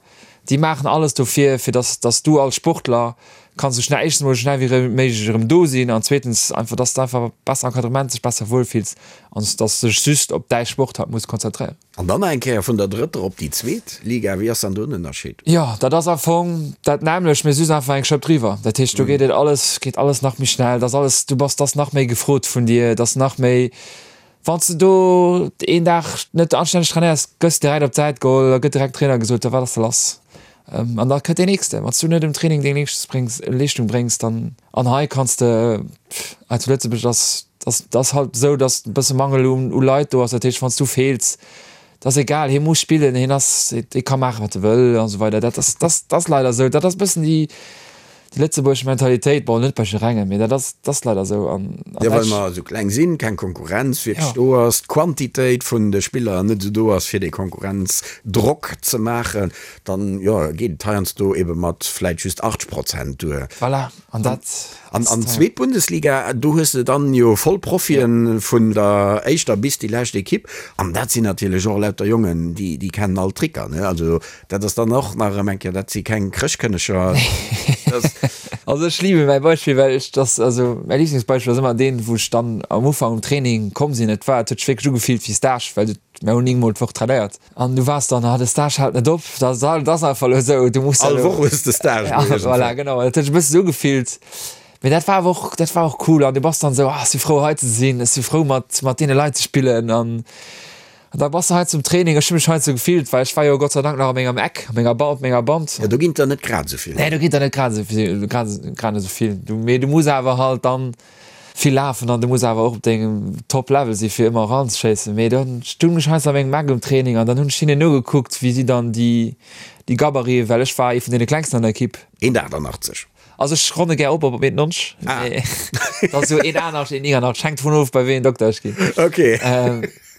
déi maachen alles dofir, fir dass, dass du als Sportler kanns esou schnell, éischtens emol esou schnell wéi méiglech erëm do sinn an zweetens einfach, dass de einfach besser Encadrement, dech besser wuelfills an dass de dech just op däi Sport halt muss konzentréieren. An dann nach eng Kéier vun der drëtter op déi zweet Liga, wéi ass dann do den Ënnerscheed? Jo, dat ass am Fong dat nämmlecht, mee just einfach eng Schëpp driwwer. Dat heescht, do geet et alles, geet alles nach méi schnell, et ass alles, du bass, et ass nach méi gefrot vun dir, et ass nach méi, wann s de do een Dag net anstänneg trainéiers, gëss direkt op d'Säit geholl, da gëtt direkt Trainer gesot, da wat ass da lass? An da kënnt deen nächste. Wann s du net um Training deng Leeschtung bréngs, dann, an hei kanns de, hei zu Lëtzebuerg ass, Dat ass halt esou, datt e bësse Mangel u Leit do ass. Dat heescht, wann s du feels, dat ass egal, hie muss spillen, hien ass, hie ka maachen, wat e wëll an esou weider. Dat ass, dat ass leider esou. Dat ass e bëssen déi, déi lëtzebuergesch Mentalitéit. Bon, net bei jidderengem, mee dat ass, dat ass leider esou. An Jo, well mer esou kleng sinn, keng Konkurrenz wierklech do ass, d'Quantitéit vun de Spiller net esou do ass, fir dee Konkurrenzdrock ze maachen, dann, jo, geet et heiansdo ebe mat vläicht just 80 Prozent duer. Voilà, an dat. An an d'zweet Bundesliga, do hues de dann jo voll Profien vun der éischter bis déi lescht Equipe. An dat sinn natierlech och lauter Jongen, déi déi kennen all d'Tricker, ne? Also dat ass dann och nach erëm eng Kéier, dat si keng Chrëschtkënneger. Also ech liebe mäi Beispill, well ech dass, also mäi Liblingsbeispill ass ëmmer deen, wou ech dann am Ufank um Training komm sinn. Et war, et huet sech wierklech ugefillt wéi Stage, well du, mir hunn 9 mol d'Woch trainéiert. An du waars dann, ah, de Stage hält net op, dat ass einfach elo esou, du muss All Woch hues de Stage. Ja, voilà, genau, dat huet sech e bësse sou ugefillt. Mee dat war awer och, dat war och cool an du bass dann esou, ah, ech si frou hei ze sinn, ech si frou mat, mat deene Leit ze spillen an da bass de hei zum Training. Ech hu mech hei sou gefillt, well ech war jo Gott sei Dank nach a mengem Eck, a menger Ba, op menger Band. Jo, do ginn et der net grad esou vill. Nee, do ginn et der net grad esou vill, grad, grad esou vill. Du, mee du muss awer halt dann vill lafen an du muss awer och op dengem Top Level si fir ëmmer eranzeschéissen. Mee dann stung ech heiansdo a mengem Eck um Training an dann hunn ech hinnen nogekuckt wéi si dann déi déi Gabariten, well ech war ee vun deene klengsten an der Ekipp. 1,88. Also ech ronne gär op op 1,90, mee dat ass esou 1,88, 1,89, hänkt dovun of bei wéi een Dokter ech ginn. Okay.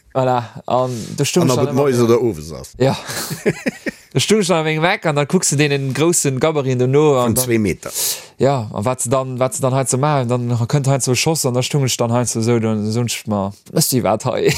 Voilà, an do stung ech dann ëmmer. An ob et moies oder owes ass. Jo. Do stung ech dann a mengem Eck an dann kucks de deenen groussen Gabariten do no. Vun zwee Meter. Jo, an wat se dann, wat se dann heiansdo maachen, dann kënnt heiansdo e Schoss an da stung ech dann heiansdo esou do an da soen ech mer, Méchs du iwwerhaapt hei?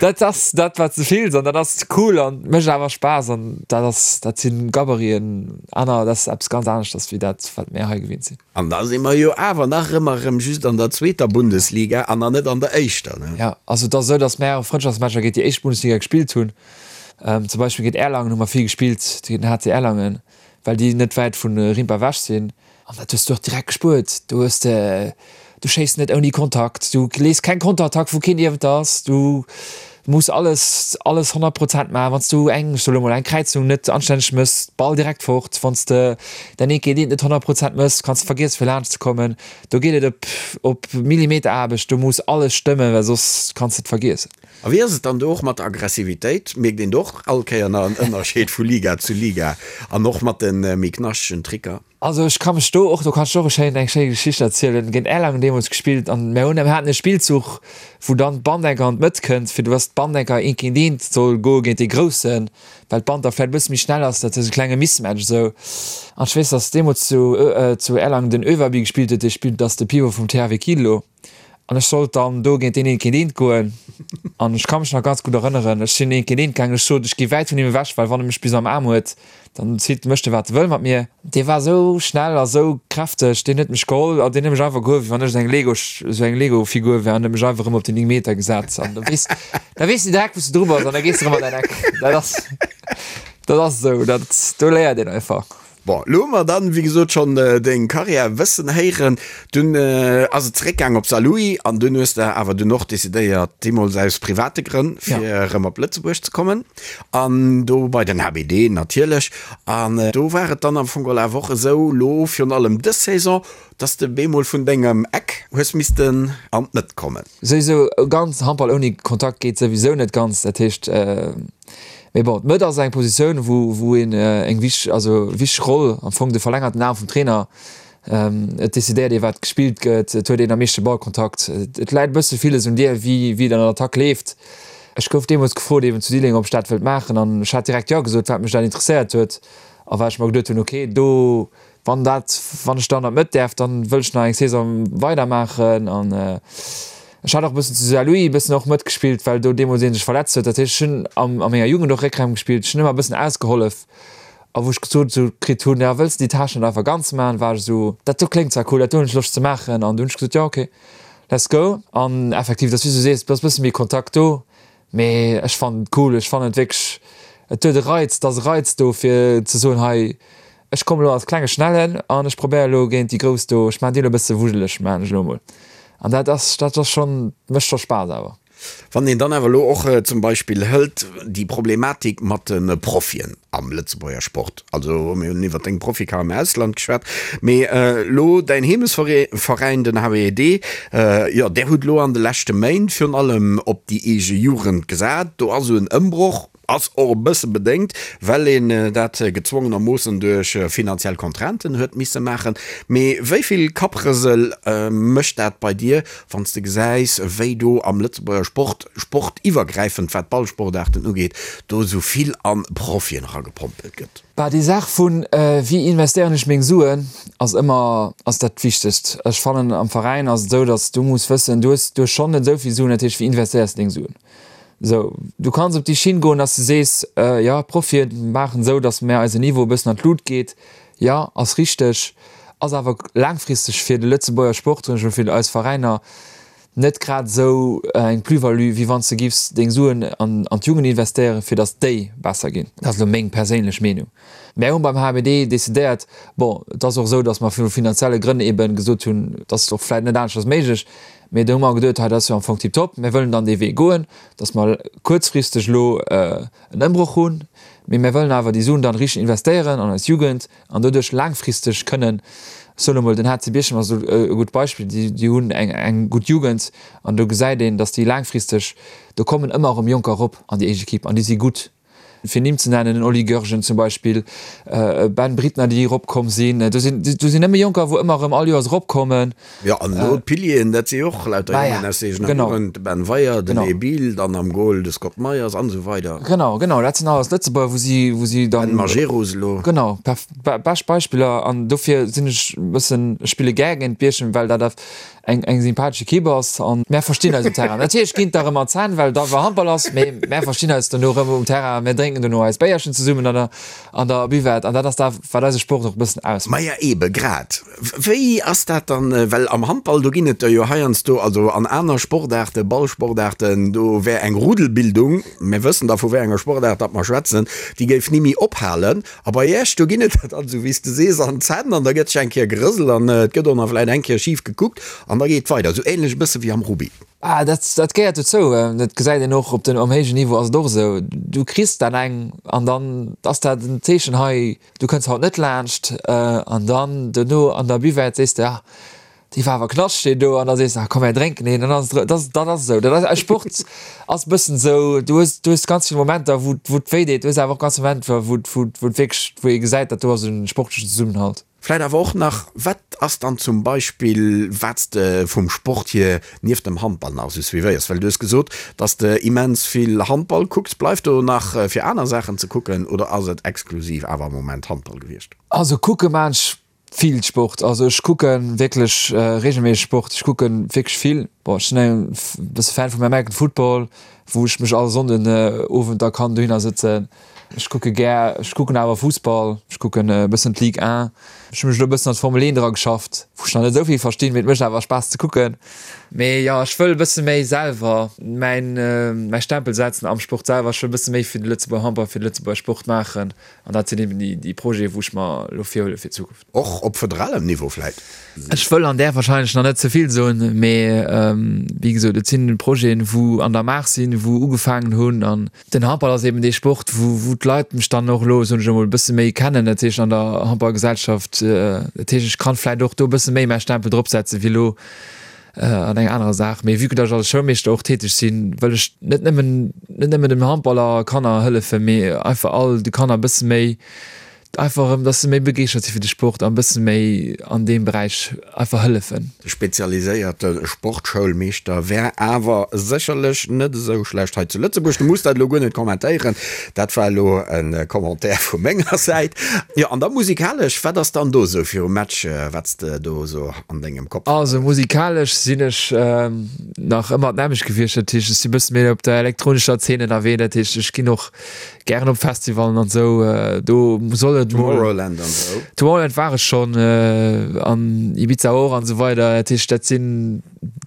Dat ass dat, wat s de fills an dat ass cool an mécht awer Spaass an dat ass, dat si Gabariten, aner, dat ass eppes ganz aneschters wéi dat, wat mär hei gewinnt sinn. An da si mer jo awer nach ëmmer erëm just an der zweeter Bundesliga an nach net an der éischter, ne? Jo, also et ass esou, datt mär Frëndschaftsmatcher géint déi éischt Bundesliga gespillt hunn. Zum Beispill géint Erlangen hu mer vill gespillt, géint den HC Erlangen, well déi net wäit vu Rimpa ewech sinn. An dat hues du och direkt gespuert. Do hues de, du schéiss net ouni Kontakt, du lees keng Konterattack, wou keen niewent der ass. Du muss alles, alles 100 Prozent maachen. Wann s du eng, ech soe lo mol, eng Kräizung net anstänneg méchs, Ball direkt fort. Wann s de däin Eent géint eent net 100 Prozent méchs, kanns de vergiessen, fir laanscht ze kommen. Do geet et op, op Millimeteraarbecht. Do muss alles stëmmen, well soss kanns de et vergiessen. A wéi ass et dann do och mat der Aggressivitéit? Mierkt een do och all Kéier nach en Ënnerscheed vu Liga zu Liga an och mat de méi knaschtegen Tricker? Also ech ka mech do och, do kann ech och e schéin, eng schéi Geschicht erzielen, géint Erlangen deemools gespillt an mir hunn, mir haten e Spillzuch wou dann d'Bandenker an d'Mëtt kënnt, fir dass d'Bandenker eent géint eent soll goe géint dee Groussen, well d'Band da vläicht e bësse méi schnell ass, dat ass e klenge Mismatch esou. An ech weess, dass deemools zu, zu Erlangen den Överby gespillt huet, dee spillt, ass de Pivot vum THW Kiel elo. An ech sollt dann do géint deen eent géint eent goen. An ech ka mech nach ganz gutt erënneren, ech sinn eent géint eent gaangen, ech sot, ech gi wäit vun him ewech, well wann e mech bis am Aarm huet, dann zitt, mécht e wat e wëll mat mir. Dee war esou schnell a sou kräfteg, deen huet mech geholl an deen huet mech einfach gehuewen, wéi wann ech esou eng Lego, esou eng Lego-Figur wär an huet mech einfach erëm op déi 9 Meter gesat. An da weess, da weess de direkt, wou s de dru bass an da gees de erëm an däin Eck. Dat ass, dat ass esou, dat, do léiert een einfach. Bon, elo hu mer dann, wéi gesot, schonn deng Karriär wëssen héieren. Dunn ass et zeréckgaang op Saarlouis an dunn hues de awer dunn och decidéiert, deemools aus private Grënn, fir erëm op Lëtzebuerg ze kommen an do bei den HBD natierlech. An do war et dann am Fong geholl awer och esou, elo virun allem dës Saison, dass de bemol vun dengem Eck hues missten an d'Mëtt kommen. Souwisou, ganz Handball ouni Kontakt geet souwisou net ganz. Dat heescht, Mee bon, d'Mëtt ass eng Positioun, wou, wou een eng wich, also wichteg Roll, am Fong de verlängerten Aarm vum Trainer. Et decidéiert ee wat gespillt gëtt, et huet een am meeschte Ballkontakt. Et läit e bësse villes un dir, wéi wéi et an der Attack leeft. Ech gouf deemools gefrot eben zu Diddeleng, ob ech dat wëllt maachen an ech hat direkt Jo gesot, wat mech dat interesséiert huet a well ech mer geduet hunn, ok do wann dat wann ech dann an d'Mëtt däerf, dann wëll ech nach eng Saison weidermaachen an ech hat och e bëssen zu Saarlouis e bëssen och mëtgespillt, well do deemools ee sech verletzt huet. Dat heescht ech hunn am a menger Jugend och Réckraum gespillt, ech hunn ëmmer e bëssen ausgehollef A wou ech gesot esou kritt hunn, ja wëlls de déi Tâche net einfach ganz maachen, war ech esou, dat do kléngt zwar cool, dat do hunn ech Loscht ze maachen. An du hunn ech gesot, jo ok, let's go. An effektiv, et ass wéi s du sees, et ass e bësse méi Kontakt do, mee ech fannen et cool, ech fannen et wierklech, et huet e Reiz, et ass e Reiz do fir ze soen, hei ech kommen elo als klenge Schnellen an ech probéiere elo géint déi Grouss do, ech maachen déi elo e bësse wujeleg, maachen ech elo emol. An dat ass, dat ass schonn, mécht scho Spaass awer. Wann een dann awer elo och zum Beispill hëlt déi Problematik mat de Profien am Lëtzebuerger Sport, also mir hunn iwwert deng Profikarriär am Ausland geschwat, mee elo däin Heemesveräin, den HWD, jo där hutt elo an de leschte Méint virun allem op déi eege Jugend gesat. Do ass esou en Ëmbroch. Ass och e bësse bedéngt, well een dat gezwongenermoossen duerch finanziell Contrainten huet misse maachen. Mee wéi vill Kapprësel mécht dat bei dir, wann s de gesäis, wéi do am Lëtzebuerger Sport, sportiwwergräifend, wat d'Ballsportaarten ugeet, do esou vill an Profien eragepompelt gëtt? Bah, déi Saach vun wéi investéieren ech meng Suen ass ëmmer ass dat Wichtegst. Ech fannen am Veräin ass et esou, datt s du muss wëssen, du hues du hues schonn net esou vill Suen, dat heescht wéi investéiers de deng Suen? Sou, du kanns op déi Schinn goen, dass de sees, jo, d'Profie maachen esou, dass mär eisen Niveau e bëssen an d'Lut geet. Jo, ass richteg, ass awer laangfristeg fir de Lëtzebuerger Sport, soen ech mol, fir eis Veräiner net grad esou eng Plus-value, wéi wann s de giffs deng Suen an d'Jugend investéieren, fir dass déi besser ginn. Dat ass elo meng perséinlech Meenung. Mär hunn beim HBD decidéiert, bon, et ass och esou, dass mer vu finanzielle Grënn eeben gesot hunn, et ass och vläicht net aneschters méiglech, Mee do hu mer geduet, hei dat ass jo am Fong tiptop, mir wëllen dann dee Wee goen, datt mer kuerzfristeg elo en Ëmbroch hunn, mee mir wëllen awer déi Suen dann richteg investéieren an eis Jugend an doduerch laangfristeg kënnen, ech soen emol, den HC Bierchem ass do e gutt Beispill, déi hunn eng gutt Jugend an do gesäit een, datt déi laangfristeg, do kommen ëmmer erëm Jonker erop an déi éischt Equipe an déi si gutt. Fir Nimm ze nennen, den Oli Goergen zum Beispill, Ben Brittner, déi eropkomm sinn. Do sinn, do sinn nëmme Jonker, wou ëmmer erëm all Joers eropkommen. Jo, an elo d'Pilieren, dat si jo och lauter Jongen aus eegener Jugend, de Ben Weyer, den Ebil, dann am Goal de Scott Meyers an esou weider. Genau, genau, dat sinn alles Lëtzebuerger, wou si, wou si dann. Ben Majerus elo. Genau, perf, bescht Beispiller. An dofir sinn ech e bëssen, ech spille gär géint Bierchem, well dat eng eng sympathesch Equipe ass an mär verstinn eis um Terrain. Natierlech ginn et da rëm an d'Zänn, well et einfach Handball ass, mee mär verstinn eis dono rëm um Terrain, mär drénken dono eist Béierchen zesummen an der an der Buvette an dat ass dat, wat eise Sport och e bëssen ausmécht. Maja ebe grad. Wéi ass dat dann, well am Handball, do ginn et der jo heiansdo, also an aner Sportaarten, Ballsportaarten, do wär eng Rudelbildung, mir wëssen da vu wéi enger Sportaart datt mer schwätzen, déi géif ni méi ophalen. A bei Iech, do ginn et der dann, esou wéi s de sees, an d'Zänn an da gëtt sech eng Kéier gerëselt an et gëtt och nach vläicht eng Kéier schif gekuckt an da geet et weider. Esou änlech e bësse wéi am Rugby. Ah, dat, dat gehéiert dozou. Dat gesäit een och op den, um héijen Niveau ass et och esou. Du kriss dann eng an dann ass dat en Zeechen, hei, du kënns haut net laanscht. An dann dono an der Buvette sees de, ah, Déi war awer knascht deen do an da sees de, ah komm mär drénken een an dann ass et dat ass dat ass esou. Dat ass eis Sport ass e bëssen esou, du hues du hues ganz vill Momenter wou wou et wéi deet, du hues awer och ganz vill Momenter wou wou wou et wierklech wou ee gesäit, dat do ass e sportlechen Zesummenhalt. Vläit awer och nach, wat ass dann zum Beispill wat s de vum Sport hier nieft dem Handball nach esou suivéiers? Well du hues gesot, datt s de immens vill Handball kucks. Bleift do nach fir aner Saachen ze kucken oder ass et exklusiv awer am Moment Handball gewiescht? Also kucke maan ech Vill Sport, also ech kucke wierklech regelméisseg Sport, ech kucke wierklech vill. Bon, ech sinn e bësse Fan vum American Football, wou ech mech all Sonnden Owend da kann dohinner sëtzen. Ech kucke gär, ech kucken awer Fussball, ech kucken e bëssen d'Ligue 1. Ech hu mech elo e bëssen an d'Formel 1 dra geschafft, wou ech nach net esou vill verstinn, mee et mécht awer Spaass ze kucken. Mee jo, ech wëll e bësse méi selwer mäin, mäi Stempel setzen am Sport selwer. Ech wëll e bësse méi fir de Lëtzebuerger Handball, fir de Lëtzebuerger Sport maachen. An dat sinn eben déi Projete wou ech mer elo virhuele fir d'Zukunft. Och op federalem Niveau vläit? Ech wëll an där wahrscheinlech nach net ze vill soen, mee wéi gesot, et sinn Projeten, wou an der Maach sinn, wou ugefaangen hunn. An den Handball ass eben dee Sport, wou wou d'Leit mech dann och elo, soen ech emol, e bësse méi kennen, dat heescht an der Handballgesellschaft. Dat heescht, ech kann vläit och do e bësse méi mäi Stempel dropsetzen, wéi elo an enger anerer Saach. Mee vue que datt ech als Schoulmeeschter och täteg sinn, wëll ech net nëmmen, net nëmmen den Handballer Kanner hëllefen, mee einfach all de Kanner e bësse méi. Einfach erëm, dass se méi begeeschtert si fir de Sport an e bësse méi an deem Beräich einfach hëllefen. De spezialiséierte Sportschoulmeeschter wär awer sécherlech net esou schlecht hei zu Lëtzebuerg. Du muss dat elo guer net kommentéieren, dat war elo e Commentaire vu menger Säit. Jo, an da musikalesch, wat ass dann do esou virum Match, wat s de do esou an dengem Kopf hues? Also musikalesch sinn ech nach ëmmer d'nämmlecht gewiescht, dat heescht ech si bësse méi op der elektronescher Zeen ënnerwee, dat heescht ech ginn och Gären op Festivalen an esou, do soll et mol. Tomorrowland an esou. Tomorrowland war ech schonn, an Ibiza och an esou weider. Dat heescht, dat sinn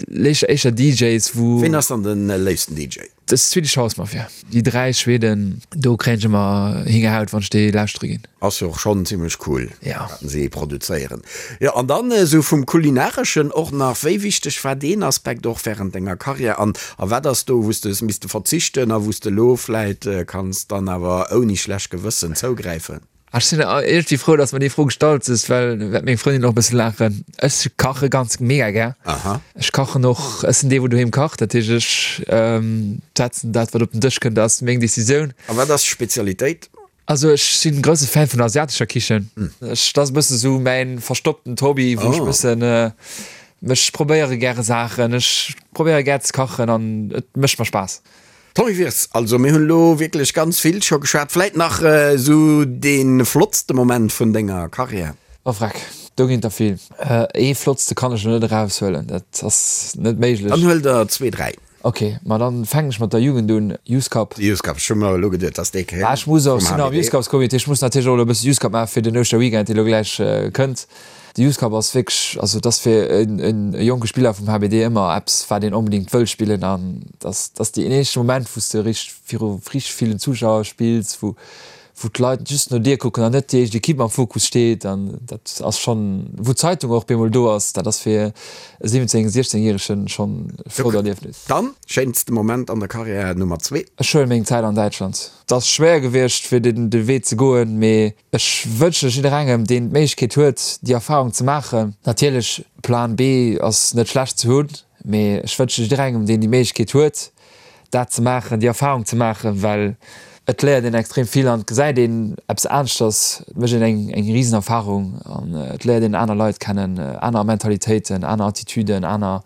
léischer éischter DJs, wou. Ween ass dann den léifsten DJ? Dat ass Swedish House Mafia. Déi 3 Schweden, do kréien ech ëmmer Hingerhaut, wann ech déi lauschtere ginn. Ass jo och schonn zimmlech cool, wat si produzéieren. Jo, an dann esou vum Kulinareschen och nach, wéi wichteg war deen Aspekt och wärend denger Karriär an a wat ass do, wou s de hues misste verzichten a wou s de elo vläit kanns dann awer ouni schlecht Gewëssen zougräifen? Ech sinn iergendwéi frou, dass mer déi Fro gestallt hues, well wäert meng Frëndin och e bësse laachen. Ech kache ganz mega gär. Aha. Ech kachen och, ech sinn dee wou doheem kacht, dat heescht ech setzen dat wat op den Dësch kënnt ass meng Decisioun. A wat ass d'Spezialitéit? Also ech sinn grousse Fan vun der asiatescher Kichen. Ech, dat ass e bësse sou mäin verstopptent Hobby, wou ech e bëssen mech probéiere gäre Saachen. Ech probéiere gär ze kachen an et mécht mer Spaass. Tommy Wirtz, Also mir hunn elo wierklech ganz vill scho geschwat. Vläit nach esou dee flottste Moment vun denger Karriär? Oh vreck, do ginn et der vill. Ee flottste kann ech elo net eraushuelen, dat ass net méiglech. Dann huel der zwee, dräi. Ok, ma dann fänken ech mat der Jugend un, Youth Cup. Youth Cup, ech hu mer elo geduet, dass dee kéint. Ech muss och, ech sinn am Youth Cups Comité, ech muss natierlech och elo e bësse Youth Cup maachen fir den Ouschterweekend, dee elo gläich kënnt. De Youth Cup ass wierklech, also et ass fir e jonke Spiller vum HBD ëmmer eppes, wat een onbedéngt wëll spillen an dass dass deen éischte Moment, wou s de richteg viru richteg villen Zuschauer spills, wou wou d'Leit just no dir kucken an net déi éischt Equipe am Fokus steet an dat ass schonn, wou d'Zeitung och bemol do ass, dat ass fir e 17, 16 Järegen schonn e flott Erliefnis. Dann, schéinste Moment an der Karriär Nummer zwee? Ech huele meng Zäit an Däitschland. Et ass schwéier gewiescht fir den de Wee ze goen, mee ech wënsche jidderengem deen d'Méiglechkeet huet déi Erfahrung ze maachen. Natierlech Plan B ass net schlecht ze hunn, mee ech wënsche jidderengem deen déi Méiglechkeet huet dat ze maachen, déi Erfahrung ze maachen, well et léiert een extrem vill an et gesäit een eppes aneschters, et mécht een eng eng risen Erfahrung an et léiert een aner Leit kennen, aner Mentalitéiten, aner Attitüden, aner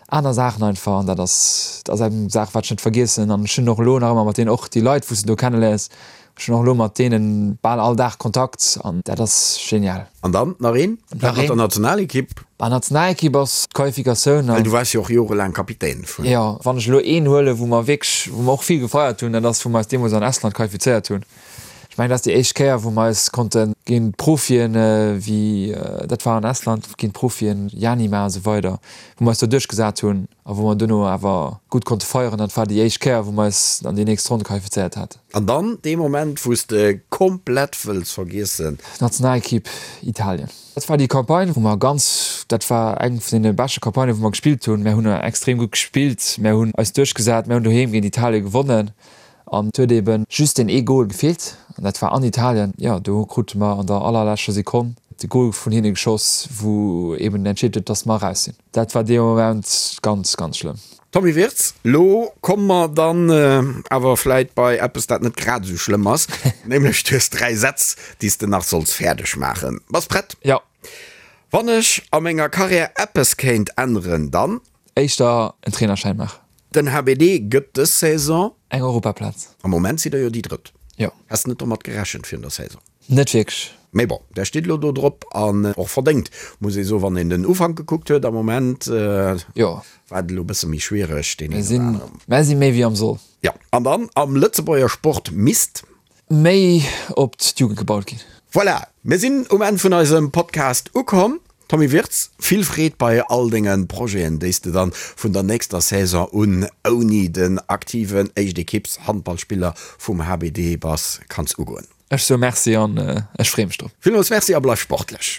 aner Saachen einfach an dat ass dat ass eng Saach wat ech net vergiessen an ech hunn och elo nach ëmmer mat deenen och déi Leit wou s de do kenneléiers, ech hunn och elo mat deenen bal all Dag Kontakt an dat ass genial. An dann nach een, dat mat der Nationalekipp. Bah, Nationalekipp ass d'Qualifikatioun an. Well du waars jo och jorelaang Kapitän vun. Jo, wann ech elo een huelen, wou mer wierklech, wou mer och vill gefeiert hunn, dat ass wou mer eis deemools an Estland qualifizéiert hunn. Ech mengen, dat ass déi éischt Kéier, wou mer eis konnte géint Profien, wéi dat war an Estland, géint Profien, Janima a sou weider, wou mer eis do duerchgesat hunn a wou mer duerno awer gutt konnte feieren. Dat war déi éischt Kéier, wou mer eis an déi nächst Ronn qualifizéiert haten. An dann dee Moment, wou s de komplett wëlls vergiessen. Nationalekipp Italien. Dat war déi Campagne, wou mer ganz, dat war eng vun deene beschte Campagnen, wou mer gespillt hunn. Mär hunn extrem gutt gespillt, mär hunn eis duerchgesat, mär hunn doheem géint Italien gewonnen an et huet eebe just deen ee Gol gefeelt an dat war an Italien. Jo, do krute mer an der allerleschter Sekonn de Gol vun hinne geschoss, wou eeben entscheet huet, dass mer eraus sinn. Dat war dee Moment ganz, ganz schlëmm. Tommy Wirtz, Lo komme mer dann awer vläit bei eppes, dat net grad esou schlëmm ass, nämlech du hues 3 Sätz, déi s de nach solls fäerdeg maachen. Bass prett? Jo. Wann ech a menger Karriär eppes kéint änneren, dann. Éischter en Trainerschäin maachen. Den HBD gëtt dës Saison. Eng Europaplaz. Am Moment sidd der jo déi Drëtt. Jo. Häss net domat gerechent virun der Saison? Net wierklech. Mee bon, där steet elo do drop an och verdéngt, muss ee soen, wann een den Ufank gekuckt huet. Am Moment Jo. war et elo e bësse méi schwiereg, deen een oder aneren. Mär si méi wéi am Soll. Jo, an dann am Lëtzebuerger Sport misst. Méi op d'Jugend gebaut ginn. Voilà, mir sinn um Enn vun eisem Podcast ukomm. Tommy Wirtz, vill Freed bei all denge Projeten, déi s de dann vun der nächster Saison un ouni den aktiven Éischt-Equipes-Handballspiller vum HBD bass, kanns ugoen. Ech soe Merci an ech freeë mech drop. Villmools Merci a bleif sportlech!